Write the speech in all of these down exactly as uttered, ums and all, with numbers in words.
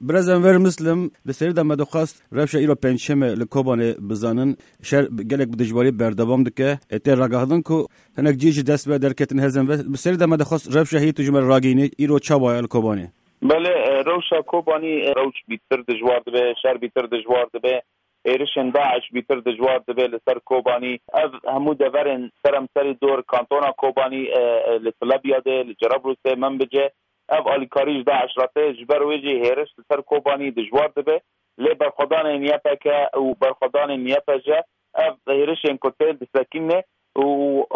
Birêz Enver Muslim, di serî de me dixwest rewşa îro pêncşemê li Kobanê bizanin. Şer gelek bi dijwarî berdewam dike. E, tê ragihandin ku hinek cî ji dest ve derketin hêzên ve. Bi serî de me dixwest rewşa heyî tu ji me re ragihînî, îro çawa ye li Kobanê? Belê, e, rewşa Kobanî, e, rewş bîtir dijwar dibe, şer bîtir dijwar dibe, êrişên DAIŞ bîtir dijwar dibe li ser Kobanî. Ev hemû deverên seremserî dor kantona Kobanî, e, e, li Tilebya de, li Cerablûsê, Minbicê, ev alîkarî ji DAIŞ re tê. Ji ber wê jî hêriş li ser Kobanî dijwar dibe. Lê berxwedanên Y P G û berxwedanên Y P G ev hêrişên ku tên disekîne û,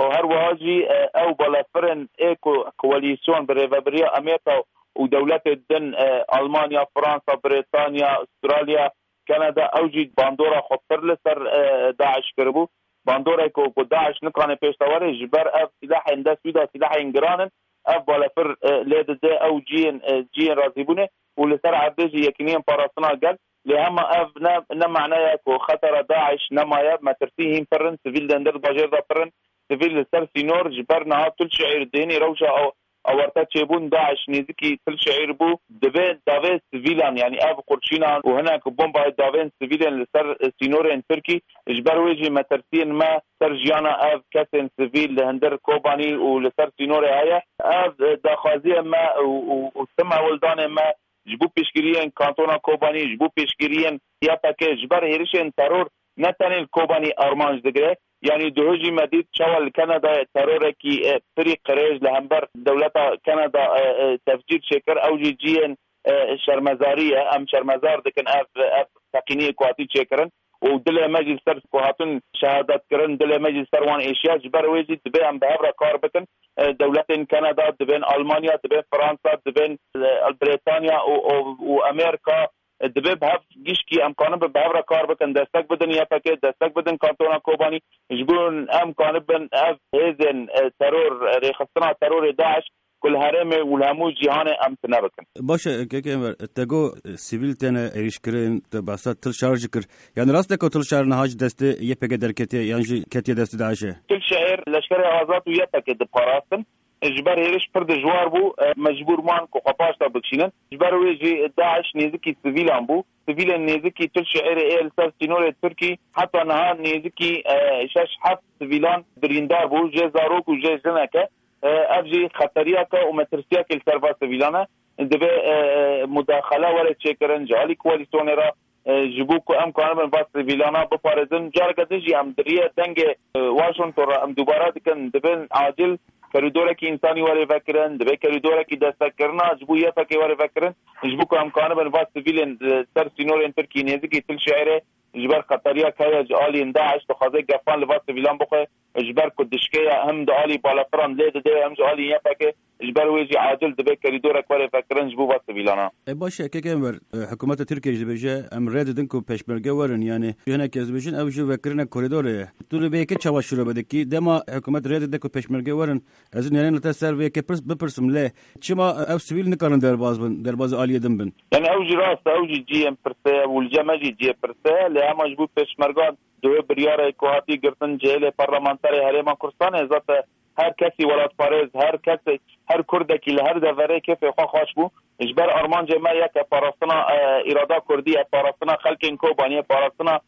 û her wiha jî, e, ew balafirên ê ku koalîsyon bi rêvebiriya Amerîka û dewletê din, e, Almanya, Fransa, Brîtanya, Astralya, Kanada, ew jî bandora xwe pir li ser, e, DAIŞ kiribû. Bandorek ku, ku DAIŞ nikane pêş de were, ji ber ev sîlahên dest wî de sîlahên giran in, ev balefir, e, lê dide ew ciyên, e, ciyên razîbûnê û li ser erdê jî yekîniyên parastina gel. Lê hema ev ne, ne mane ye ku xetera DAIŞ nemaye, metirsî hîn pir in, sivîl di hundir bajêr de pir in, sivîl li ser sînor, ji ber niha tu li şeîr dihênî rewşa ew awarte çêbûn, DAIŞ nêzîkî tu li şeîr bû, divê davê sivîlan, yanî ev qurşînan û hinek bombayê davên sivîlên li ser sînorên Tirkî, ji ber wê jî metirsiyên me ser jiyana ev kesên sivîl li hundir Kobanî û li ser sînorê heye. Ev daxwaziyê me û, û, û tim hewldanê me ji bo piştgiriyên kantona Kobanî, ji bo piştgiriyên Y P G, ji ber hêrişên teror ne tenê li Kobanî armanc digire. Yanî duhujî me dît çawa li Kanadayê terorekî, e, pirî qirêj li hember dewleta Kanada, e, e, tefcîr çêkir. Ew jî ciyên, e, şermezarî ye. Em şermezar dikin ev, ev teqîniyê ku hatî çêkirin. Û dilê me jî li ser ku hatin şehadet kirin, dilê me jî li ser wan êşiya. Ji ber wê jî divê em bi hev re kar bikin. E, dewletên Kanada, dibên Almanya, dibên Fransa, dibên, e, Brîtanya û, û, û Amerîka, e, divê bi hev gişkî em kanibin bi hev re kar bikin, destek bidin Y P G, destek bidin kantona Kobanî, ji bo em kanibin ev hêzên, e, teror, e, rêxistina terorê DAIŞ ku li herêmê û li hemû cîhanê em tune bikin. Baş e, kek Enver, te got, e, sivîl têne êrîşkirin, te behsa Til Şar jî kir. Yanî rast e ku Til Şar niha ji destê Y P G derketiye yan jî ketiye destê DAIŞê? Til Şehir leşkerê azad û Y P G diparastin. Ji ber hêriş pir dijwar bû, e, mecbûr man ku xwe paş de bikişînin. Ji ber wê jî DAIŞ nêzikî sivîlan bû. Sivîlên nêzikî Til Şehirê ê li ser sînorê Tirkî heta niha nêzikî, e, şeş heft sivîlan birîndar bû, jê zarok û jê jineke. E, ev jî xeteriyeke û metirsiyekê li ser va sivîlan e. Divê, e, e, mudaxele were çêkirin ji alî koalîsyonê re, e, ji bo ku em kanibin va sivîlana biparêzin. Careke din jî em di riyê dengê, e, Washington re em dubare dikin, divê acil korîdorekî însanî were vekirin, divê korîdorekî destekirina ji bo Y P G were vekirin, ji bo ku em kanibin va sivîlên, e, ser sînorên Tirkî nêzikî Til Şehirê ji ber xeteriyek heye ji aliyên DAIŞ dixwaze gefan li va sivîlan bixwe, ji ber ku dişkê ye, hem di alî balafiran lê dide, hem ji alî Y P G, ji ber wê jî acil divê korîdorek were vekirin ji bo va sivîlana. E, baş e, kek Enver, e, hikûmeta Tirkiyê jî dibêje, em rê didin ku pêşmerge werin, yanî hinek kes dibêjin, ew jî vekirina korîdorê ye. Tu li vê yekê çawa şîrove dikî? Dema hikûmet rê dide ku pêşmerge werin, ez ê nêrên li te ser vê yekê pirs, bipirsim, lê çima ew sivîl nikarin derbaz bin, derbazî aliyê din bin? Yanî ew jî rast e, ew jî cihê pirsê ye û li cem me jî cihê pirsê ye, lê hema ji bo pêşmergan Di wê biryarê ku hatî girtin ji hêlê parlamenterê Herêma Kurdistanê, zaten her kesî welatparêz, her kesê, her Kurdekî li her deverê kêfê xwe xweş bû. Ji ber armancê me yek e parastina, e, îrada Kurdî ye, parastina xelkên Kobaniyê, parastina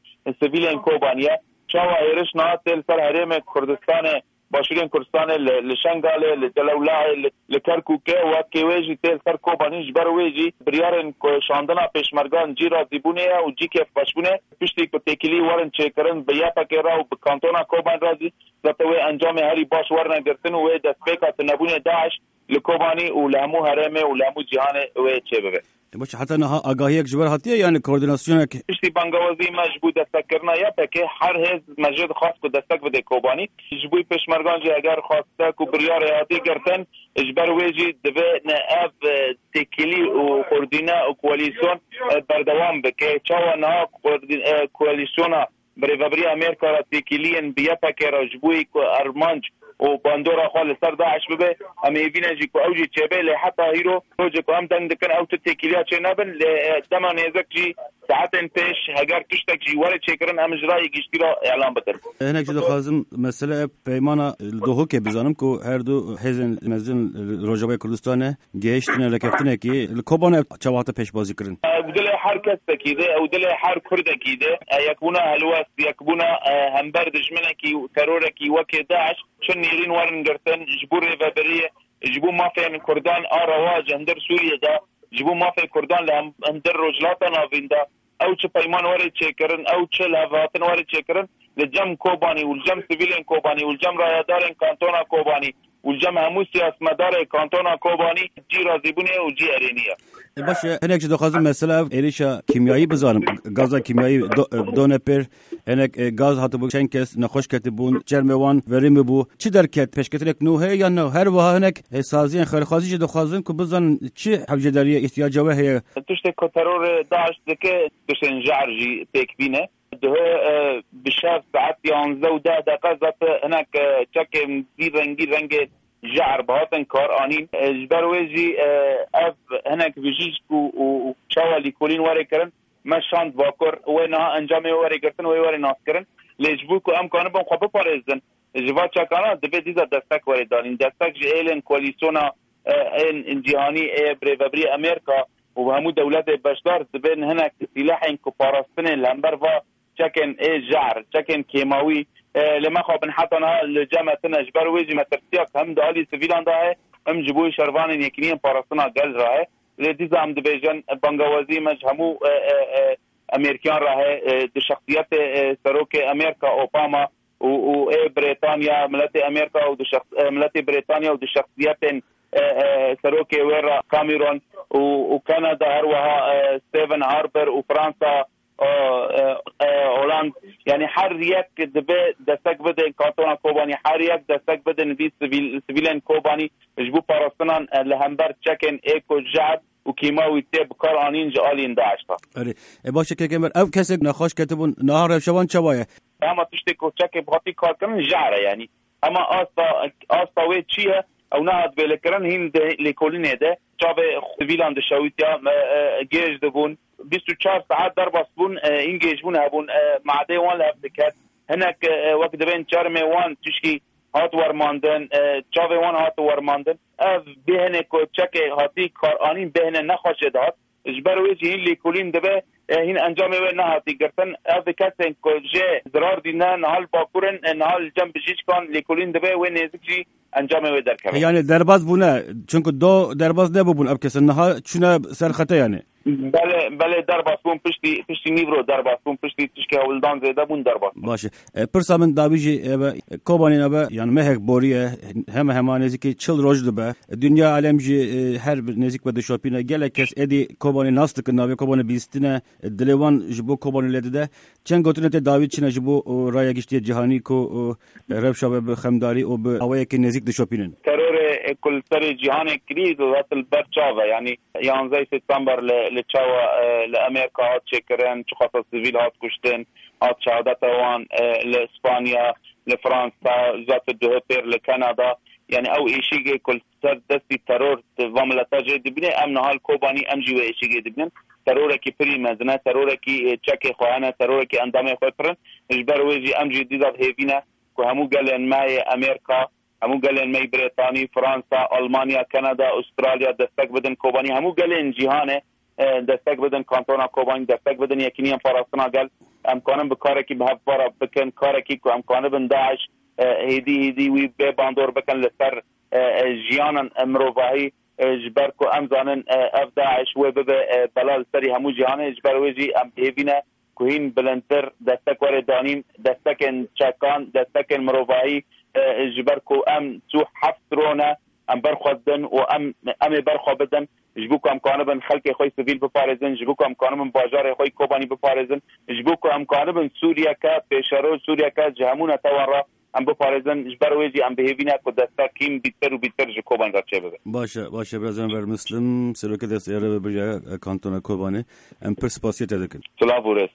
sivîlên Kobaniyê. Çawa êriş niha tê li ser Herêmê Kurdistanê, Başûrên Kurdistanê, li, li Şengalê, li Celewlayê, li, li Kerkûkê, wekî wê jî tê li ser Kobanî, ji ber wê jî biryarên ku şandina pêşmergan cî razîbûnê ye û cî kêfxweşbûnê, piştî ku têkilî werin çêkirin bi Y P G re û bi kantona Kobanî re jî, zaten wê encamê herî baş werine girtin û wê destpêka tunebûnê DAIŞ li Kobanî û li hemû herêmê û li hemû cîhanê wê çêbibe. Baş, heta niha agahiyek ji we re hatiye, yanî koordinasyonek? Piştî bangawazî me ji bo destekirina Y P G, her hêz me jê dixwest ku destek bide Kobanî. Ji bo pêşmergan jî eger xwestek û biryarê hatî girtin, ji ber wê jî divê ne ev, e, têkilî û koordîne û koalîsyon, e, berdewam bike. Çawa niha koordî-, e, koalîsyona bi rêvebiriya Amerîka re têkiliyên bi Y P G re ji bo ku armanc û bandora xwe li ser DAIŞ bibe, em hêvî ne jî ku ew jî çêbe, lê heta hîro rojê ku em deng dikin ew tu têkiliya çê nebin, lê, e, dema nêzik jî Saetên pêş heger tiştek jî were çêkirin, em ji rayê giştî re îlan bikin. Hinek jî dixwazim mesele ev peymana li Dohokê bizanim ku her du hêzên mezin li Rojavayê Kurdistanê gihiştine rêkeftinekî. Li Kobanê ev çawa hate pêşbazî kirin? Ew dilê her kesekî de, ew dilê her Kurdekî de. E, yekbûna helwest, yekbûna, e, hember dijminekî û terorekî wekê DAIŞ, çi nêrîn werin girtin ji bo rêvebiriyê, ji bo mafên Kurdan a rewa ji hundir Sûriyê de, ji bo mafê Kurdan li hem-, hundir Rojhilata Navîn de, ew çi peyman were çêkirin, ew çi lihevhatin were çêkirin, li cem Kobanî û li cem sivîlên Kobanî û li cem rayedarên kantona Kobanî û li cem hemû siyasmedarê kantona Kobanî cî razîbûnê û cî erênî ye. E, baş e, hinek jî dixwazim mesela ev êrîşa kîmyayî bizanim. Gaza kîmyayî do-, e, done pêr, hinek, e, gaz hatibû, çend kes nexweş ketibûn, çermê wan verî bû. Çi derket? Pêşketinek nû heye yan ne? Her wiha hinek, e, saziyên xêrxwazî jî dixwazin ku bizanin çi hewcedariye, îhtiyaca we heye. Tiştê ku terorê DAIŞ dike, tiştên jehr jî pêk bîne. Duhe, e, bi şev saet yanzdeh û deh deqe zat hinek, e, çekên zî rengî rengê jehr bi hatin kar anîn. E, ji ber wê jî, e, ev hinek bijîşk û, û, û çawa lîkolîn were kirin, me şand Bakur, wê niha encamê wê were girtin, wê were naskirin. Lê ji bo ku em kanibin xwe biparêzin, ji va çekana divê dîsa destek were danîn. Destek ji êlên koalîsyona, e, ên cîhanî ê bi rêvebirî Amerîka û hemû dewletê beşdar dibên hinek sîlehên ku parastinê li hember va çekên ê jehr, çekên kêmawî, e, lê mexabin heta niha li cem me tine. Ji ber wê jî metirsiya ku hem di alî sivîlan de heye, hem ji bo şervanên Yekîneyên Parastina Gel re heye. Lê dîsa em dibêjin, bangewazî me ji hemû, e, e, e, Amerîkiyan re heye, e, di şexsiyetê, e, Serokê Amerîka Obama û, û ê Brêtanya, miletê Amerîka û di şexs-, e, miletê Brêtanya û di şexsiyetên, e, e, serokê wê re Cameron û, û Kanada, her wiha, e, Stephen Harper û Fransa, e, e, e, Holand, yani her yek dibe destek bidin kantona Kobanî, her yek destek bidin vî sivîl, sivîlên Kobanî ji bo parastinan, e, li hember çekên ê ku jehr û kîmawî tê bi kar anîn ji aliyên DAIŞ re. Erê, e, baş e, kekê Enver, ev kesek nexweş ketibûn, niha rewşa wan çawa ye? Dema tiştê ku çekê bi hatî kar kirin jehr e, yanî. Hema asta, asta wê çi ye? Ew nehat bêlekirin, hîn di lêkolînê de çavê sivîlan dişewitiya, me, e, gêj dibûn. Bîst û çar saet derbas bûn, e, hîn gêjbûn hebûn, e, madê wan li hev diket. Hinek, e, wek dibên çermê wan tişkî hat wermandin, e, çavê wan hat wermandin. Ev bêhne ku çekê hatî kar anîn bêhne nexweşê dihat. Ji ber wê jî hîn lêkolîn dibe, e, hîn encamê wê nehatî girtin. Ev kesên ku jê zirar dîne niha li Bakur in, e, niha li cem bijîşkan lêkolîn dibe, wê nêzik jî encamê wê derkeve. Yani derbas bûne, çunku do derbas nebûbûn ev kesin, niha çûne ser xete yani. Belê, belê, derbas bûn piştî, piştî nîvro derbas bûn, piştî tişkê hewldan zêde bûn derbas bûn. Baş e. E, pirsa min dawî jî ebe, Kobanî nebe, yani mehek boriye, heme hema nêzîkî çil roj dibe. Dinya alem jî, e, her nêzîk be dişopîne. Gelek kes êdî Kobanî nas dikin, navê Kobanî bîstine, e, dilê wan ji bo Kobanî lê dide. Çend gotinê tê dawî çine ji bo, o, raya giştî cîhanî ku, o, rewşa ve bi xemdarî û bi awayekî nêzîk dişopînin. Terorê, e, ku li serê cîhanê kirî, zaten li ber çav e. Yanî yanzdeh September li, li çawa, e, li Amerîka hat çêkirin, çiqasa sivîl hat kuştin, hat şehadeta wan, e, li Spanya, li Fransa, zat duhe pêr li Kanada. Yanî ew êşîgê ku li ser destî teror di va mileta jê dibîne, em niha li Kobanî em jî wê êşîgê dibînin. Terorekî pirî mezin e, terorekî, e, çekê xwe hene, terorekî endamê xwe pir in. Ji ber wê jî em jî dîsa hêvî ne ku hemû gelên me yê Amerîka, hemû gelên me yê Brêtanî, Fransa, Almanya, Kanada, Australya destek bidin Kobanî, hemû gelên cîhanê, e, destek bidin kantona Kobanî, destek bidin Yekîneyên Parastina Gel. Em kanin bi karekî bi hev para bikin, karekî ku em kanibin DAIŞ, e, hêdî hêdî wî bê bandor bikin li ser, e, e, jiyanan, e, mirovahî, e, ji ber ku em zanin, e, ev DAIŞ wê bibe, e, bela li serî hemû cîhanê, ji ber wê jî em hêvî ne ku hîn bilindtir destek were danîn, destekên çekan, destekên mirovahî, e, ji ber ku em sî û heft rone, em ber xwe didin û em, em ê ber xwe bidin, ji bo ku em kanibin xelkê xwe yê sivîl biparêzin, ji bo ku em kanibin bajarê xwe yê Kobanî biparêzin, ji bo ku em kanibin Sûriyeke pêşeroj, Sûriyeke ji hemû netewan re em biparêzin, ji ber wê jî em bi hêvî ne ku destek hîn bîtir û bîtir ji Kobanî re çêbibe. Baş e, baş e, Birêz Enver Muslim, Serokê Destê Rêvebiriya Kantona Kobanê. Em pir spasiya te dikin. Silav û rêz.